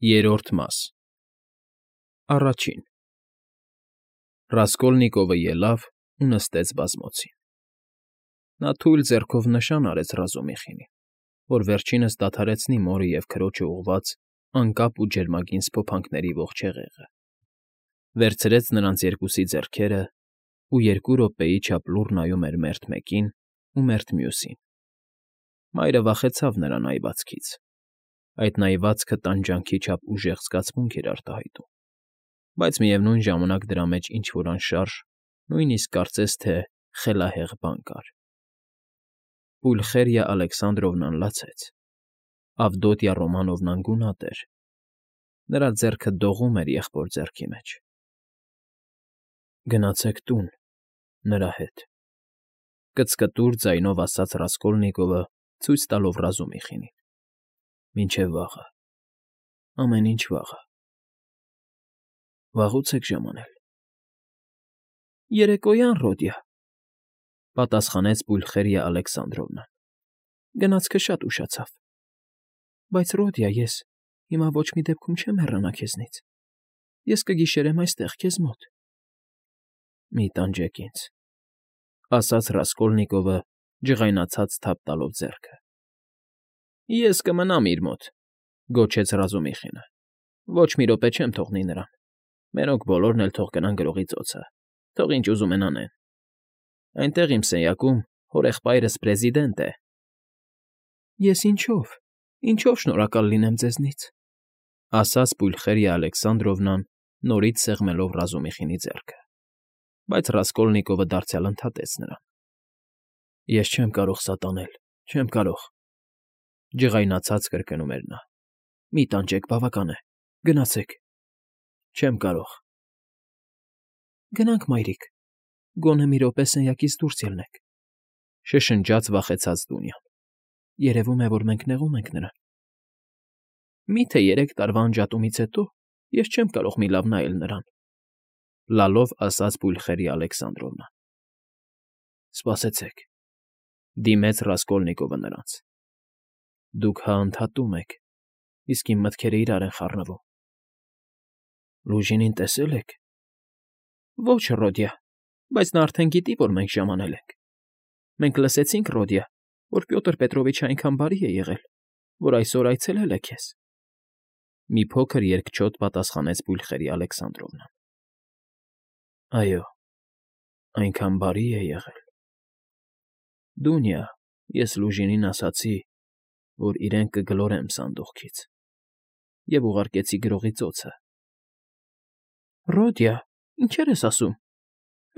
Երրորդ մաս Առաջին Ռասկոլնիկովը ելավ ու նստեց բազմոցին. նա թույլ ձեռքով նշան արեց Ռազումիխինին, որ վերջինս դադարեցնի մորը և քրոջը ուղղված անկապ ու ջերմագին սփոփանքների ողջ հեղեղը, վերցրեց նրանց երկուսի ձեռքերն ու 2 րոպեի չափ լուռ նայում էր մերթ մեկին ու մերթ մյուսին. մայրը վախեցավ նրա նայվածքից, այդ նայվածքը տանջանքի չափ ուժեղ զգացմունք էր արտահայտում, բայց միևնույն ժամանակ դրա մեջ ինչ֊որ անշարժ, նույնիսկ կարծես թե խելահեղ բան կար. Պուլխերիա Ալեքսանդրովնան լացեց, Ավդոտյա Ռոմանովնան գունատ էր, նրա ձեռքը դողում էր եղբոր ձեռքի մեջ։ Գնացեք տուն, նրա հետ, կծկտուր ձայնով ասաց Ռասկոլնիկովը, ցույց տալով Ռազումիխինին, մինչև վաղը, ամեն ինչ վաղը։ Վաղուց եք ժամանել։ Երեկոյան, Ռոդիա, պատասխանեց Պուլխերիա Ալեքսանդրովնան, գնացքը շատ ուշացավ, բայց Ռոդիա, ես հիմա ոչ մի դեպքում չեմ հեռանա քեզնից, ես կգիշերեմ այստեղ քեզ մոտ։ Մի տանջեք ինձ, ասաց Ռասկոլնիկովը, ջղայնացած թափ տալով ձեռքը։ Ես կմնամ իր մոտ, գոչեց Ռազումիխինը, ոչ մի րոպե չեմ թողնի նրան, մերոնք բոլորն էլ թող գնան գրողի ծոցը, թող ինչ ուզում են անեն։ Այնտեղ իմ սենյակում հորեղբայրս պրեզիդենտ է։ Ես ինչով շնորհակալ լինեմ ձեզնից, ասաց Պուլխերիա Ալեքսանդրովնան, նորից սեղմելով Ռազումիխինի ձեռքը, բայց Ռասկոլնիկովը դարձյալ ընդհատեց նրան։ Ես չեմ կարող սա տանել, չեմ կարող, ջղայնացած կրկնում էր նա։ Մի տանջեք, բավական է, գնացեք։ Չեմ կարող։ Գնանք, մայրիկ, գոնե մի րոպե սենյակից դուրս ելնեք, շշնջաց վախեցած Դունյան։ Երևում է, որ մենք նեղում ենք նրան։ Միթե 3 տարվա անջատումից հետո ես չեմ կարող մի լավ նայել նրան, լալով ասաց Պուլխերիա Ալեքսանդրովնան։ Սպասեցեք, դիմեց Ռասկոլնիկովը նրանց։ Դուք հա ընդհատում եք, իսկ իմ մտքերը իրար են խառնվում։ Լուժինին տեսե՞լ եք։ Ոչ, Ռոդիա, բայց նա արդեն գիտի, որ մենք ժամանել ենք։ Մենք լսեցինք, Ռոդիա, որ Պյոտր Պետրովիչը այնքան բարի է եղել, որ այսօր այցելել է քեզ։ Մի փոքր երկչոտ պատասխանեց Պուլխերիա Ալեքսանդրովնան։ Այո, այնքան բարի է եղել։ Դունյա, ես Լուժինին ասացի, որ իրեն կգլորեմ սանդուղքից, և ուղարկեցի գրողի ծոցը։ Ռոդիա, ինչեր ես ասում,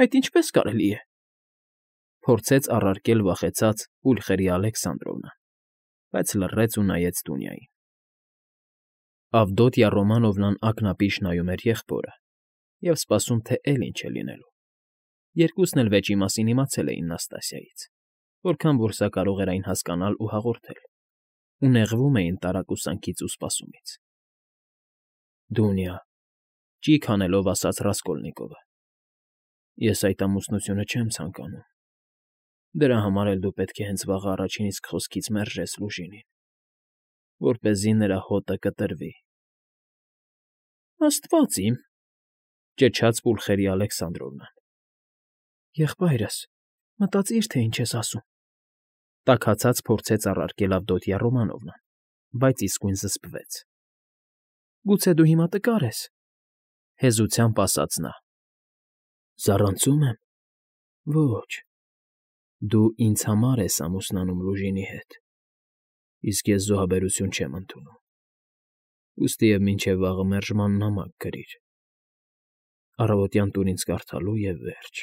այդ ինչպես կարելի է։ Փորձեց առարկել վախեցած Պուլխերիա Ալեքսանդրովնան, բայց լռեց ու նայեց Դունյային։ Ավդոտյա Ռոմանովնան ակնապիշ նայում էր եղբորը և սպասում, թե էլի ինչ է լինելու։ Երկուսն էլ վեճի մասին իմացել էին Նաստասիայից, որքան որ սա կարող էր այն հասկանալ ու հաղորդել, ու նեղվում էին տարակուսանքից ու սպասումից։ Դունյա, ճիգ հանելով ասաց Ռասկոլնիկովը, ես այդ ամուսնությունը չեմ ցանկանում։ Դրա համար էլ դու պետք է հենց վաղը առաջին իսկ խոսքից մերժես Լուժինին, որպեսզի նրա հոտը կտրվի։ Աստված իմ, ճչաց Պուլխերիա Ալեքսանդրովնան։ Եղբայրս, մտածիր, թե ինչ ես ասում։ Տաքացած փորձեց առարկել Ավդոտյա Ռոմանովնան, բայց իսկույն զսպվեց։ Գուցե դու հիմա տկար ես, հեզությամբ ասաց նա։ Զառանցում եմ։ Ոչ, դու ինձ համար ես ամուսնանում Լուժինի հետ, իսկ ես զոհաբերություն չեմ ընդունում։ Ուստի և մինչև վաղը մերժման նամակ գրիր։ Առավոտյան տուր ինձ կարդալու և վերջ։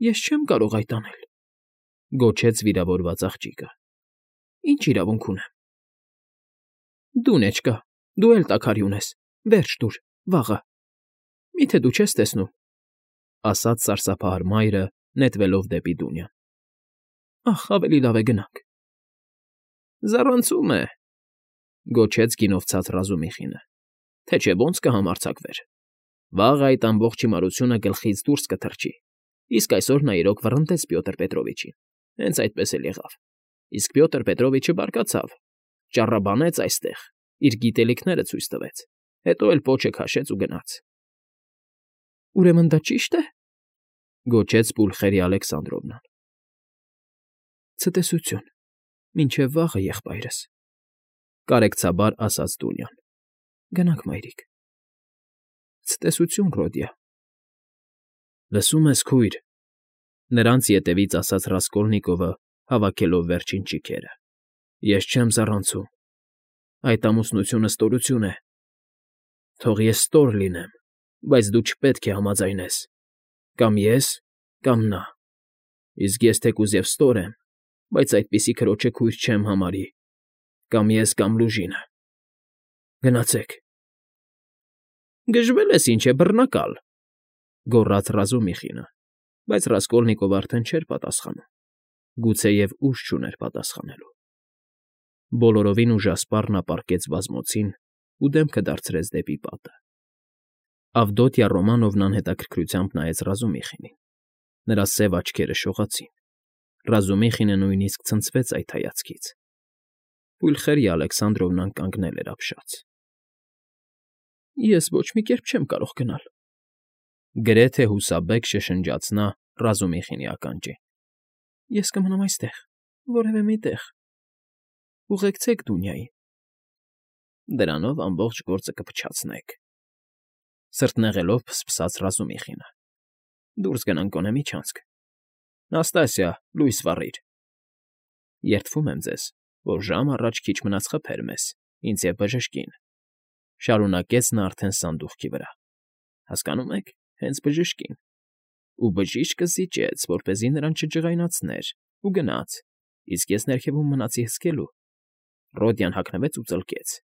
Ես չեմ կարող այդ անել, գոչեց վիրավորված աղջիկը։ Ինչ իրավունք ունեմ։ Դու նեչկա, դու էլ տաքարյուն ես, վերջ տուր, վաղը։ Միթե դու չես տեսնում, ասաց սարսափահար մայրը, նետվելով դեպի Դունյան։ Ախ, ավելի լավ է գնանք։ Զառանցում է, գոչեց գինովցած Ռազումիխինը, թե չէ ոնց կհամարձակվեր։ Վաղը այդ ամբողջ հիմարությունը գլխից դուրս կթռչի, իսկ այսօր նա իրոք վռնդեց Պյոտր Պետրովիչին, հենց այդպես էլ եղավ, իսկ Պյոտր Պետրովիչը բարկացավ, ճառաբանեց այստեղ, իր գիտելիքները ցույց տվեց, հետո էլ պոչը քաշեց ու գնաց։ ֊ Ուրեմն դա ճի՞շտ է,֊ գոչեց Պուլխերիա Ալեքսանդրովնան։ ֊ Ցտեսություն, մինչև վաղը, եղբայրս,֊ կարեկցաբար ասաց Դունյան։ ֊ Գնանք, մայրիկ։ ֊ Ցտեսություն, Ռոդիա։ ֊ Լսում ես, քույր,֊ նրանց ետևից ասաց Ռասկոլնիկովը, հավաքելով վերջին ճիգերը,֊ ես չեմ զառանցում։ Այդ ամուսնությունը ստորություն է։ Թող ես ստոր լինեմ, բայց դու չպետք է համաձայնես։ Կամ ես, կամ նա։ Իսկ ես թեկուզ և ստոր եմ, բայց այդպիսի քրոջը քույր չեմ համարի։ Կամ ես, կամ Լուժինը։ Գնացեք։ ֊ Գժվել ես, ինչ է, բռնակալ,֊ գոռաց Ռազումիխինը, բայց Ռասկոլնիկովը արդեն չէր պատասխանում, գուցեև ուժ չուներ պատասխանելու։ Բոլորովին ուժասպառ նա պառկեց բազմոցին ու դեմքը դարձրեց դեպի պատը։ Ավդոտյա Ռոմանովնան հետաքրքրությամբ նայեց Ռազումիխինին։ Նրա սև աչքերը շողացին։ Ռազումիխինը նույնիսկ ցնցվեց այդ հայացքից։ Պուլխերիա Ալեքսանդրովնան կանգնել էր ապշած։ ֊ Ես ոչ մի կերպ չեմ կարող գնալ,֊ գրեթե հուսաբեկ շշնջաց նա Ռազումիխինի ականջին։ ֊ Ես կմնամ այստեղ, որևէ մի տեղ։ Ուղեկցեք Դունյային։ ֊ Դրանով ամբողջ գործը կփչացնեք,֊ սրտնեղելով ֆսֆսաց Ռազումիխինը։ ֊ Դուրս գնանք գոնե միջանցք։ Նաստասիա, լույս վառիր։ Երդվում եմ ձեզ, որ ժամ առաջ քիչ մնաց խփեր մեզ, ինձ և բժշկին,֊ շարունակեց նա արդեն սանդուղքի վրա։ Հասկանում եք, հենց բժշկին։ Ու բժիշկը զիջեց, որպեսզի նրան չջղայնացներ, ու գնաց, իսկ ես ներքևում մնացի հսկելու։ Ռոդյան հագնվեց ու ծլկեց։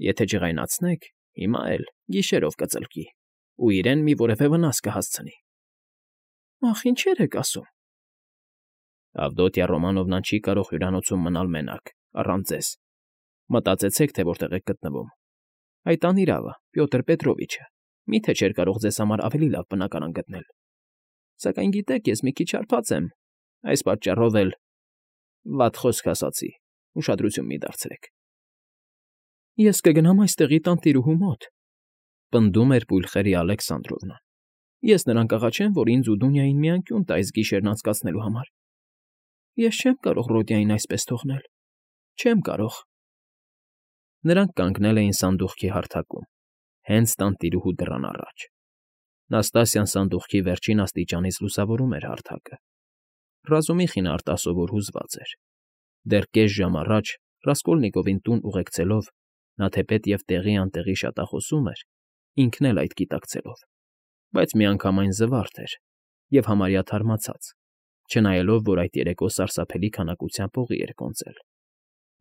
Եթե ջղայնացնեք, հիմա էլ գիշերով կծլկի ու իրեն մի որևէ վնաս կհասցնի։ ֊ Ախ, ինչեր եք ասում։ Ավդոտյա Ռոմանովնան չի կարող հյուրանոցում մնալ մենակ, առանց ձեզ։ Մտածեցեք, թե որտեղ եք գտնվում։ Այդ անիրավը, Պյոտր Պետրովիչը, միթե չէր կարող ձեզ համար ավելի լավ բնակարան գտնել։ Սակայն գիտեք, ես մի քիչ հարբած եմ, այս պատճառով էլ… Վատ խոսք ասացի, ուշադրություն մի դարձրեք։ Ես կգնամ այստեղի տանտիրուհու մոտ,֊ պնդում էր Պուլխերիա Ալեքսանդրովնան։ Ես նրան կաղաչեմ, որ ինձ ու Դունյային մի անկյուն տա այս գիշերն անցկացնելու համար։ Ես չեմ կարող Ռոդյային այսպես թողնել։ Չեմ կարող։ Նրանք կանգնել էին սանդուղքի հարթակում, հենց տանտիրուհու դռան առաջ։ Նաստասիան սանդուղքի վերջին աստիճանից լուսավորում էր հարթակը։ Ռազումիխինը արտասովոր հուզված էր։ Դեռ կես ժամ առաջ Ռասկոլնիկովին տուն ուղեկցելով նա թեպետ և տեղի անտեղի շատախոսում էր, ինքն էլ այդ գիտակցելով, բայց միանգամայն զվարթ էր և համարյա թարմացած, չնայելով, որ այդ երեկո սարսափելի քանակությամբ օղի էր կոնծել։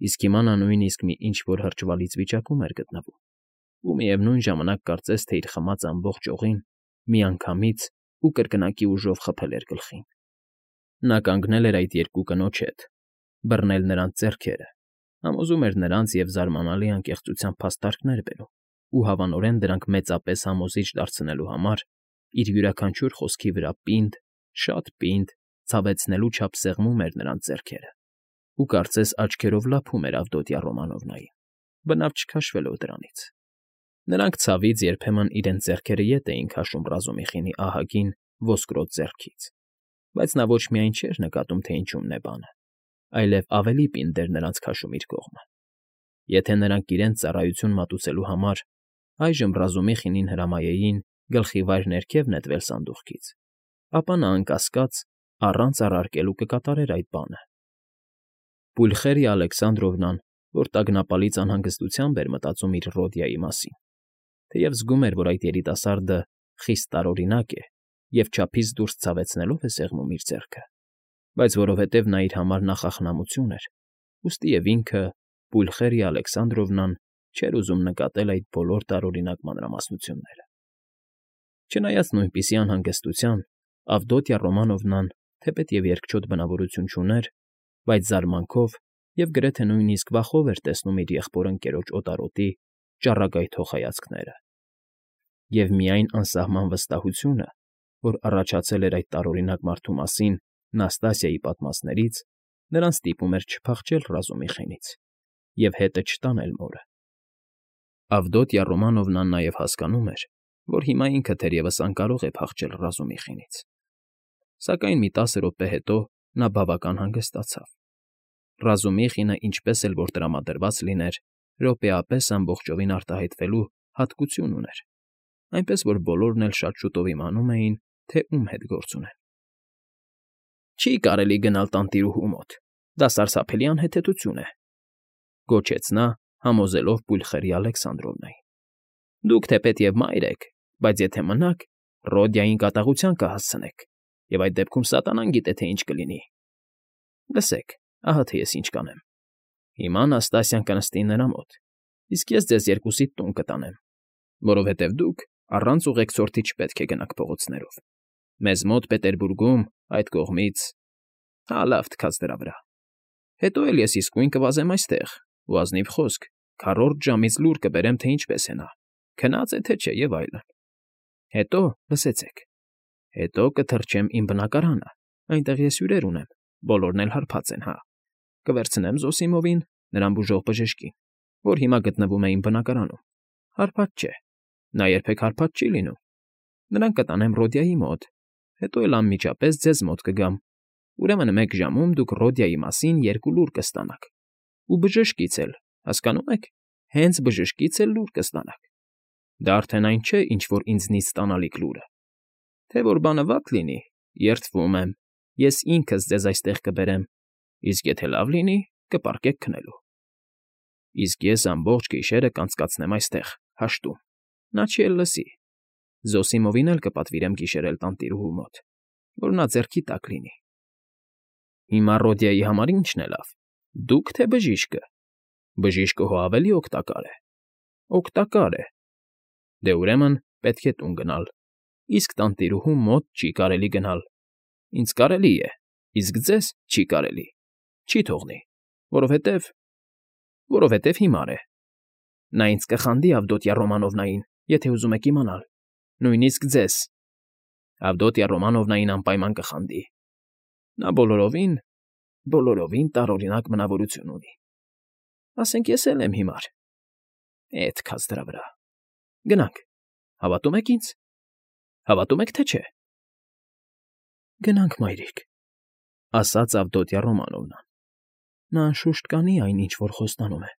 Իսկ հիմա նա նույնիսկ մի ինչ֊որ հրճվալից վիճակում էր գտնվում ու միևնույն ժամանակ կարծես թե իր խմած ամբողջ օղին միանգամից ու կրկնակի ուժով խփել էր գլխին։ Նա կանգնել էր այդ երկու կնոջ հետ, բռնել նրանց ձեռքերը, համոզում էր նրանց և զարմանալի անկեղծությամբ փաստարկներ բերում ու հավանորեն դրանք մեծապես համոզիչ դարձնելու համար իր յուրաքանչյուր խոսքի վրա պինդ, շատ պինդ, ցավեցնելու չափ սեղմում էր նրանց ձեռքերը ու կարծես աչքերով լափում էր Ավդոտյա Ռոմանովնային, բնավ չքաշվելով դրանից։ Նրանք ցավից երբեմն իրենց ձեռքերը ետ էին քաշում Ռազումիխինի ահագին ոսկրոտ ձեռքից, բայց նա ոչ միայն չէր նկատում, թե ինչումն է բանը, այլև ավելի պինդ էր նրանց քաշում իր կողմը։ Եթե նրանք իրենց ծառայություն մատուցելու համար այժմ Ռազումիխինին հրամայեին գլխիվայր ներքև նետվել սանդուղքից, ապա նա անկասկած առանց առարկելու կկատարեր այդ բանը։ Պուլխերիա Ալեքսանդրովնան, որ տագնապալից անհանգստությամբ էր մտածում իր Ռոդյայի մասին, թեև զգում էր, որ այդ երիտասարդը խիստ տարօրինակ է և չափից դուրս ցավեցնելով է սեղմում իր ձեռքը, բայց որովհետև նա իր համար նախախնամություն էր, ուստի և ինքը, Պուլխերիա Ալեքսանդրովնան, չէր ուզում նկատել այդ բոլոր տարօրինակ մանրամասնությունները։ Չնայած նույնպիսի անհանգստության, Ավդոտյա Ռոմանովնան, թեպետ և երկչոտ բնավորություն չուներ, բայց զարմանքով և գրեթե նույնիսկ վախով էր տեսնում իր եղբոր ընկերոջ օտարոտի ճառագայթող հայացքները։ Եվ միայն անսահման վստահությունը, որ առաջացել էր այդ տարօրինակ մարդու մասին Նաստասիայի պատմածներից, նրան ստիպում էր չփախչել Ռազումիխինից և հետը չտանել մորը։ Ավդոտյա Ռոմանովնան նաև հասկանում էր, որ հիմա ինքը թերևս անկարող է փախչել Ռազումիխինից, սակայն մի 10 րոպե հետո նա բավական հանգստացավ. Ռազումիխինը, ինչպես էլ որ տրամադրված լիներ, րոպեապես ամբողջովին արտահայտվելու հատկություն ուներ, այնպես որ բոլորն էլ շատ շուտով իմանում էին, թե ում հետ գործ ունեն։ ֊ Չի կարելի գնալ տանտիրուհու մոտ, դա սարսափելի անհեթեթություն է,֊ գոչեց նա, համոզելով Պուլխերի Ալեքսանդրովնային։ «Դուք թեպետ և մայր եք, բայց եթե մնաք, Ռոդյային կատաղության կհասցնեք, և այդ դեպքում սատանան գիտե, թե ինչ կլինի։ Լսեք, ահա թե ես ինչ կանեմ. հիմա Նաստասիան կնստի նրա մոտ, իսկ ես ձեզ երկուսիդ տուն կտանեմ, որովհետև դուք առանց ուղեկցորդի չպետք է գնաք փողոցներով։ Մեզ մոտ Պետերբուրգում, այդ կողմից… Հա, լավ, թքած դրա վրա։ Հետո էլ ես իսկույն կվազեմ այստեղ ու, ազնիվ խոսք, քառորդ ժամից լուր կբերեմ, թե ինչպես է նա, քնած է թե չէ և այլն։ Հետո, լսեցեք, հետո կթռչեմ իմ բնակարանը, այնտեղ ես հյուրեր ունեմ, բոլորն էլ հարբած են, հա։ Կվերցնեմ Զոսիմովին, նրան բուժող բժշկին, որ հիմա գտնվում է իմ բնակարանում, հարբած չէ, նա երբեք հարբած չի լինում։ Նրան կտանեմ Ռոդյայի մոտ, հետո էլ անմիջապես ձեզ մոտ կգամ, ուրեմն 1 ժամում դուք Ռոդյայի մասին 2 լուր կստանաք, ու բժշկից էլ, հասկանո՞ւմ եք, հենց բժշկից էլ լուր կստանաք։ Դա արդեն այն չէ, ինչ որ ինձնից ստանալիք լուրը։ Թե որ բանը վատ լինի, երդվում եմ, ես ինքս ձեզ այստեղ կբերեմ, իսկ եթե լավ լինի, կպառկեք քնելու։ Իսկ ես ամբողջ գիշերը կանցկացնեմ այստեղ, հաշտում, նա չի էլ լսի։ Զոսիմովին էլ կպատվիրեմ գիշերել տանտիրուհու մոտ, որ նա ձեռքի տակ լինի։ Հիմա Ռոդյայի համար ի՞նչն է լավ, դուք թե բժիշկը։ Բժիշկը հո ավելի օգտակար է։ Օգտակար է։ Դե ուրեմն պետք է տուն գնալ, իսկ տանտիրուհու մոտ չի կարելի գնալ։ Ինձ կարելի է, իսկ ձեզ չի կարելի, չի թողնի, որովհետև հիմար է։ Նա ինձ կխանդի Ավդոտյա Ռոմանովնային, եթե ուզում եք իմանալ, նույնիսկ ձեզ։ Ավդոտյա Ռոմանովնային անպայման կխանդի։ Նա բոլորովին տարօրինակ մնավորություն ունի։ Ասենք ես էլ եմ հիմար։ Թքած դրա վրա։ Գնանք, հավատում եք ինձ։ Հավատում եք, թե չէ։ Գնանք, մայրիկ, ասաց Ավդոտյա Ռոմանովնան։ Նա անշուշտ կանի այն, ինչ որ խոստանում է։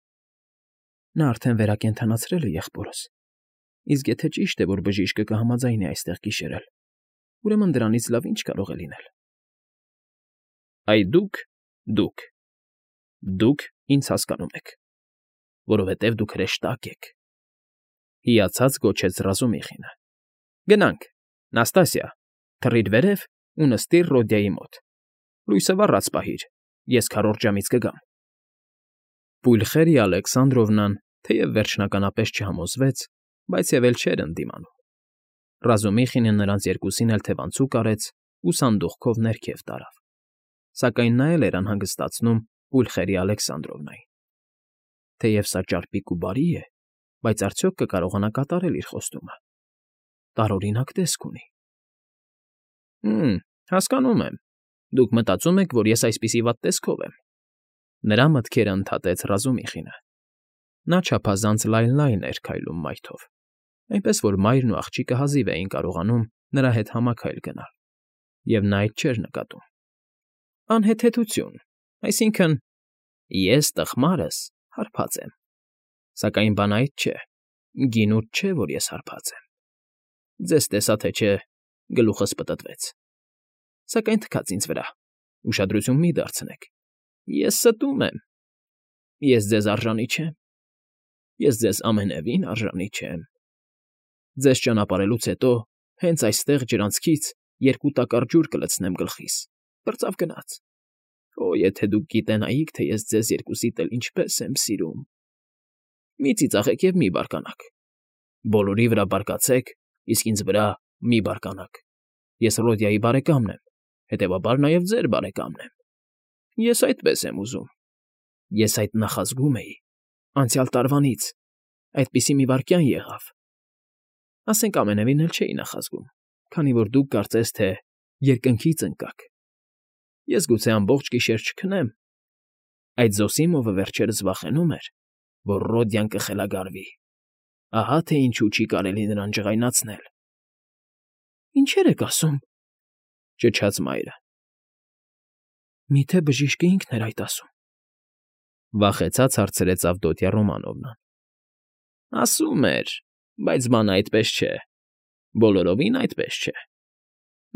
Նա արդեն վերակենդանացրել է եղբորս, իսկ եթե ճիշտ է, որ բժիշկը կհամաձայնի այստեղ գիշերել, ուրեմն դրանից լավ ինչ կարող է լինել։ Այ դուք ինձ հասկանում եք, որովհետև դուք հրեշտակ եք,֊ հիացած գոչեց Ռազումիխինը։ Գնանք, Նաստասիա, թռիր վերև ու նստիր Ռոդյայի մոտ։ Լույսը վառած պահիր, ես քառորդ ժամից կգամ։ Պուլխերիա Ալեքսանդրովնան թեև վերջնականապես չհամոզվեց, բայց և էլ չէր ընդդիմանում։ Ռազումիխինը նրանց երկուսին էլ թևանցուկ արեց ու սանդուղքով ներքև տարավ, սակայն նա էլ էր անհանգստացնում Պուլխերիա Ալեքսանդրովնային։ Թեև սա ճարպիկ ու բարի է, բայց արդյոք կկարողանա կատարել իր խոստումը։ Տարօրինակ տեսք ունի։ Հասկանում եմ, դուք մտածում եք, որ ես այսպիսի վատ տեսքով եմ։ Նրա մտքերը ընդհատեց Ռազումիխինը։ Նա չափազանց լայն էր քայլում մայթով, այնպես որ մայրն ու աղջիկը հազիվ էին կարողանում նրա հետ համաքայլ գնալ, և նա այդ չէր նկատում։ Անհեթեթություն, այսինքն՝ ես տխմարս հարբած եմ, սակայն բան այդ չէ, գինուր չէ, որ ես հարբած եմ։ Ձեզ տեսա, թե չէ, գլուխս պտտվեց։ Սակայն թքած ինձ վրա, ուշադրություն մի դարձնեք, ես ստում եմ։ Ես ձեզ արժանի չեմ։ Ես ձեզ ամենևին արժանի չեմ։ Ձեզ ճանապարհելուց հետո հենց այստեղ ջրանցքից 2 տակառ ջուր կլցնեմ գլխիս, պրծավ գնաց։ Օ, եթե դուք գիտենայիք, թե ես ձեզ երկուսիդ էլ ինչպես եմ սիրում։ Մի ծիծաղեք և մի բարկանաք։ Բոլորի վրա բարկացեք, իսկ ինձ վրա մի բարկանաք։ Ես Ռոդյայի բարեկամն եմ, հետևաբար նաև ձեր բարեկամն եմ։ Ես այդպես եմ ուզում։ Ես այդ նախազգում էի, անցյալ տարվանից, այդպիսի մի վայրկյան եղավ։ Ասենք ամենևին էլ չէի նախազգում, քանի որ դուք կարծես թե երկնքից ընկաք։ Ես գուցե ամբողջ գիշեր չքնեմ։ Այդ Զոսիմովը վերջերս վախենում էր, որ Ռոդյան կխելագարվի, Ահա թե ինչու չի կարելի նրան ջղայնացնել։ Ինչեր եք ասում,֊ ճչաց մայրը։ Միթե բժիշկը ինքն էր այդ ասում։ Վախեցած հարցրեց Ավդոտյա Ռոմանովնան։ Ասում էր, բայց բանը այդպես չէ, բոլորովին այդպես չէ։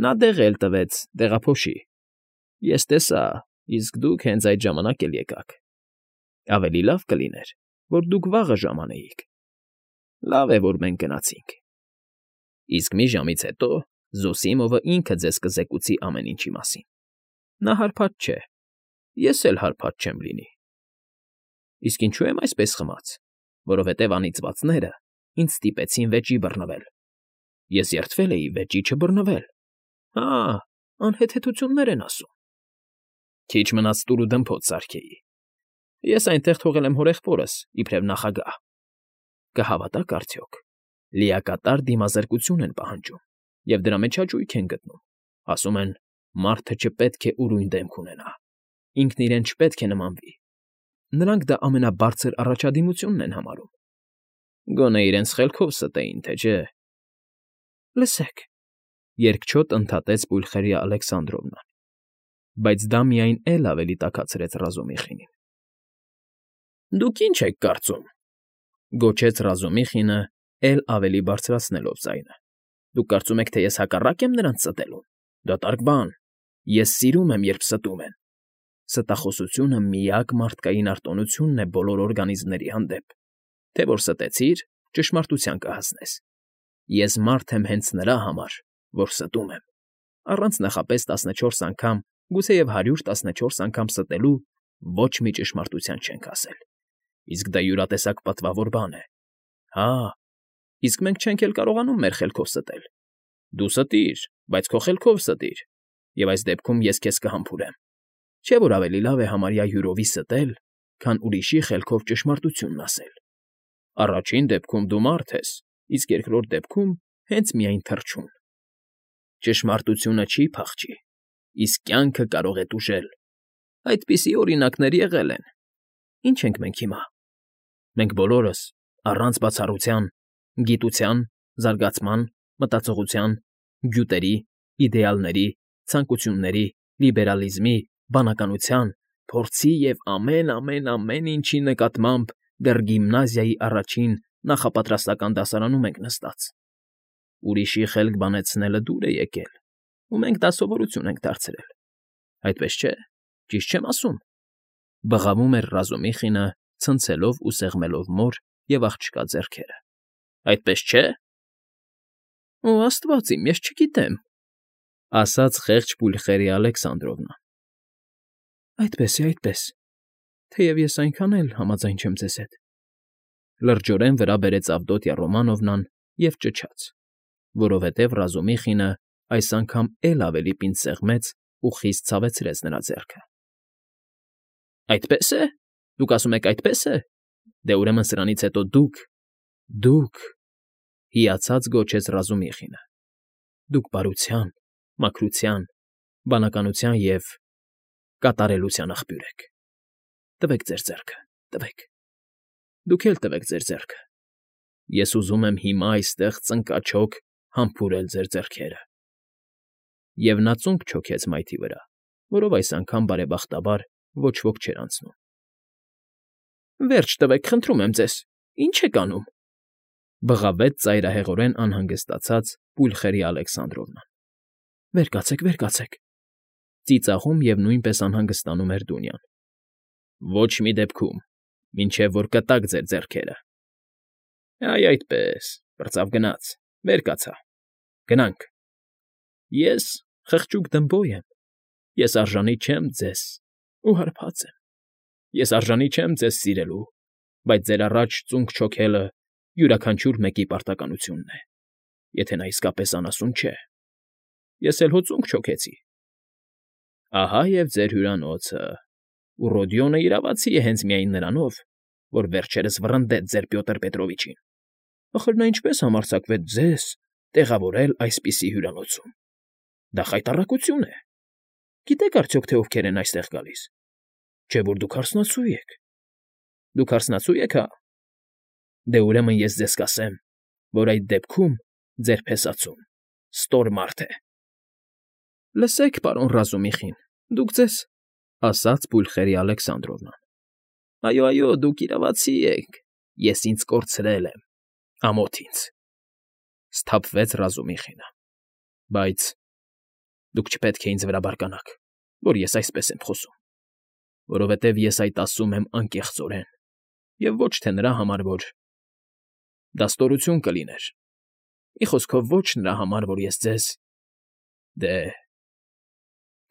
Նա դեղ էլ տվեց, դեղափոշի։ Ես տեսա, իսկ դուք հենց այդ ժամանակ էլ եկաք։ Ավելի լավ կլիներ, որ դուք վաղը ժամանեիք։ Լավ է, որ մենք գնացինք։ Իսկ մի ժամից հետո Զոսիմովը ինքը ձեզ կզեկուցի ամեն ինչի մասին։ Նա հարբած չէ, ես էլ հարբած չեմ լինի։ Իսկ ինչու եմ այսպես խմած, որովհետև անիծվածները ինձ ստիպեցին վեճի բռնվել։ Ես երդվել էի վեճի չբռնվել։ Հա, անհեթեթություններ են ասում։ Քիչ մնաց տուր ու դմփոց սարքեի։ Ես այնտեղ թողել եմ հորեղբորս, իբրև նախագահ։ Կհավատաք արդյոք, լիակատար դիմազրկություն են պահանջում, և դրա մեջ հաճույք են գտնում։ Ասում են, մարդը չպետք է ուրույն դեմք ունենա, ինքն իրեն չպետք է նմանվի։ Նրանք դա ամենաբարձր առաջադիմությունն են համարում։ Գոնե իրենց խելքով ստեին, թե չէ։ Լսեք, երկչոտ ընդհատեց Պուլխերիա Ալեքսանդրովնան, բայց դա միայն էլ ավելի տաքացրեց Ռազումիխինին։ Դուք ինչ եք կարծում,֊ գոչեց Ռազումիխինը, էլ ավելի բարձրացնելով ձայնը։ Դուք կարծում եք, թե ես հակառակ եմ նրանց ստելուն։ Դատարկ բան։ Ես սիրում եմ, երբ ստում են։ Ստախոսությունը միակ մարդկային արտոնությունն է բոլոր օրգանիզմների հանդեպ։ Թե որ ստեցիր, ճշմարտության կհասնես։ Ես մարդ եմ հենց նրա համար, որ ստում եմ։ Առանց նախապես 14 անգամ, գուցեև 114 անգամ ստելու ոչ մի ճշմարտության չենք ասել։ Իսկ դա յուրատեսակ պատվավոր բան է։ Հա, իսկ մենք չենք էլ կարողանում մեր խելքով ստել։ Դու ստիր, բայց քո խելքով ստիր, և այս դեպքում ես քեզ կհամբուրեմ։ Չէ՞ որ ավելի լավ է համարյա յուրովի ստել, քան ուրիշի խելքով ճշմարտությունն ասել։ Առաջին դեպքում դու մարդ ես, իսկ երկրորդ դեպքում հենց միայն թռչուն։ Ճշմարտությունը չի փախչի, իսկ կյանքը կարող է տուժել։ Այդպիսի օրինակներ եղել են։ Ինչ ենք մենք հիմա։ Մենք բոլորս, առանց բացառության, գիտության, զարգացման, մտածողության, գյուտերի, իդեալների, ցանկությունների, լիբերալիզմի, բանականության, փորձի և ամեն ինչի նկատմամբ դեռ գիմնազիայի առաջին նախապատրաստական դասարանում ենք նստած։ Ուրիշի խելք բանեցնելը դուր է եկել, ու մենք դա սովորություն ենք դարձրել։ Այդպես չէ, ճիշտ չեմ ասում,֊ բղավում էր Ռազումիխինը, ցնցելով ու սեղմելով մոր և աղջկա ձեռքերը։ Այդպես չէ՞։ Օ, աստված իմ, ես չգիտեմ,֊ ասաց խեղճ Պուլխերիա Ալեքսանդրովնան։ Այդպես է, այդպես, թեև ես այնքան էլ համաձայն չեմ ձեզ հետ,֊ լրջորեն վրա բերեց Ավդոտյա Ռոմանովնան և ճչաց, որովհետև Ռազումիխինը այս անգամ էլ ավելի պինդ սեղմեց ու խիստ ցավեցրեց նրա ձեռքը։ Այդպե՞ս է։ Դուք ասում եք այդպես է։ Դե ուրեմն սրանից հետո դուք,֊ հիացած գոչեց Ռազումիխինը։ Դուք բարության, մաքրության, բանականության և կատարելության աղբյուր եք։ Տվեք ձեր ձեռքը, տվեք։ Դուք էլ տվեք ձեր ձեռքը։ Ես ուզում եմ հիմա այստեղ ծնկաչոք համբուրել ձեր ձեռքերը։ Եվ նա ծունկ չոքեց մայթի վրա, որով այս անգամ բարեբախտաբար ոչ ոք չէր անցնում։ Վերջ տվեք, խնդրում եմ ձեզ, ի՞նչ եք անում,֊ բղավեց ծայրահեղորեն անհանգստացած Պուլխերիա Ալեքսանդրովնան։ Վեր կացեք, վեր կացեք,֊ ծիծաղում և նույնպես անհանգստանում էր Դունյան։ Ոչ մի դեպքում, մինչև որ կտաք ձեր ձեռքերը։ Այ այդպես, պրծավ գնաց, վեր կացա։ Գնանք։ Ես խղճուկ դմբոյ եմ, ես արժանի չեմ ձեզ ու հարբած եմ։ Ես արժանի չեմ ձեզ սիրելու, բայց ձեր առաջ ծունկ չոքելը յուրաքանչյուր մեկի պարտականությունն է, եթե նա իսկապես անասուն չէ։ Ես էլ հո ծունկ չոքեցի։ Ահա և ձեր հյուրանոցը, ու Ռոդիոնը իրավացի է հենց միայն նրանով, որ վերջերս վռնդեց ձեր Պյոտր Պետրովիչին։ Ախր նա ինչպես համարձակվեց ձեզ տեղավորել այսպիսի հյուրանոցում։ Դա խայտառակություն է։ Գիտեք արդյոք, թե ովքեր են այստեղ գալիս։ Չէ՞ որ դուք հարսնացու եք։ Դուք հարսնացու եք, հա։ Դե ուրեմն ես ձեզ կասեմ, որ այդ դեպքում ձեր փեսացուն ստոր մարդ է։ ֊ Լսեք, պարոն Ռազումիխին, դուք ձեզ,֊ ասաց Պուլխերի Ալեքսանդրովնան։ ֊ Այո, դուք իրավացի եք, ես ինձ կորցրել եմ, ամոթ ինձ,֊ սթափվեց Ռազումիխինը։ ֊ Բայց դուք չպետք է ինձ վրա բարկանաք, որ ես այսպես եմ խոսում, որովհետև ես այդ ասում եմ անկեղծորեն և ոչ թե նրա համար, որ… Դա ստորություն կլիներ, մի խոսքով ոչ նրա համար, որ ես ձեզ… Դե…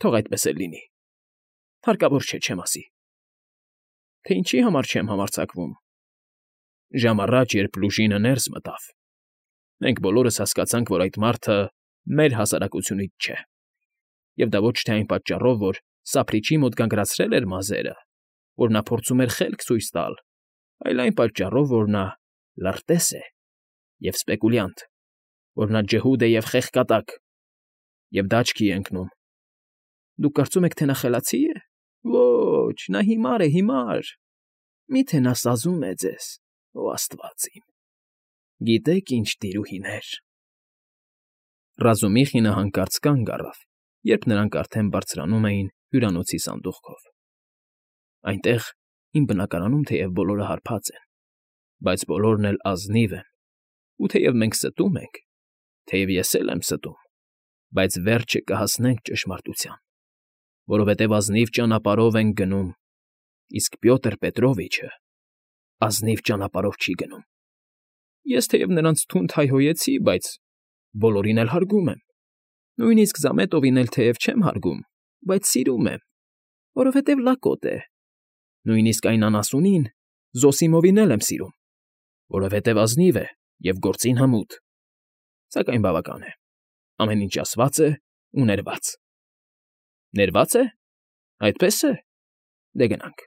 թող այդպես էլ լինի, հարկավոր չէ, չեմ ասի։ Թե ինչի համար չեմ համարձակվում… Ժամ առաջ, երբ Լուժինը ներս մտավ, մենք բոլորս հասկացանք, որ այդ մարդը մեր հասարակությունից չէ, և դա ոչ թե այն պատճառով, որ սափրիչի մոտ գանգրացրել էր մազերը, որ նա փորձում էր խելք ցույց տալ, այլ այն պատճառով, որ նա լրտես է և սպեկուլյանտ, որ նա ջհուդ է և խեղկատակ, և դա աչքի է ընկնում։ Դուք կարծում եք, թե նա խելացի՞ է։ Ոչ, նա հիմար է, հիմար… Մի՞թե նա սազում է ձեզ, օ աստված իմ… Գիտե՞ք ինչ տիրուհիներ… Ռազումիխինը հանկարծ կանգ առավ, երբ նրանք արդեն բարձրանում էին հյուրանոցի սանդուղքով։ Այնտեղ, իմ բնակարանում, թեև բոլորը հարբած են, բայց բոլորն էլ ազնիվ են, ու թեև մենք ստում ենք, թեև ես էլ եմ ստում, բայց վերջը կհասնենք ճշմարտության, որովհետև ազնիվ ճանապարհով ենք գնում, իսկ Պյոտր Պետրովիչը ազնիվ ճանապարհով չի գնում։ Ես թեև նրանց թունդ հայհոյեցի, բայց բոլորին էլ հարգում եմ, նույնիսկ Զամետովին էլ թեև չեմ հարգում, բայց սիրում եմ, որովհետև լակոտ է, նույնիսկ այն անասունին՝ Զոսիմովին էլ եմ սիրում, որովհետև ազնիվ է և գործին հմուտ, սակայն բավական է, ամեն ինչ ասված է ու ներված։ Ներվա՞ծ է, այդպես է, դե գնանք։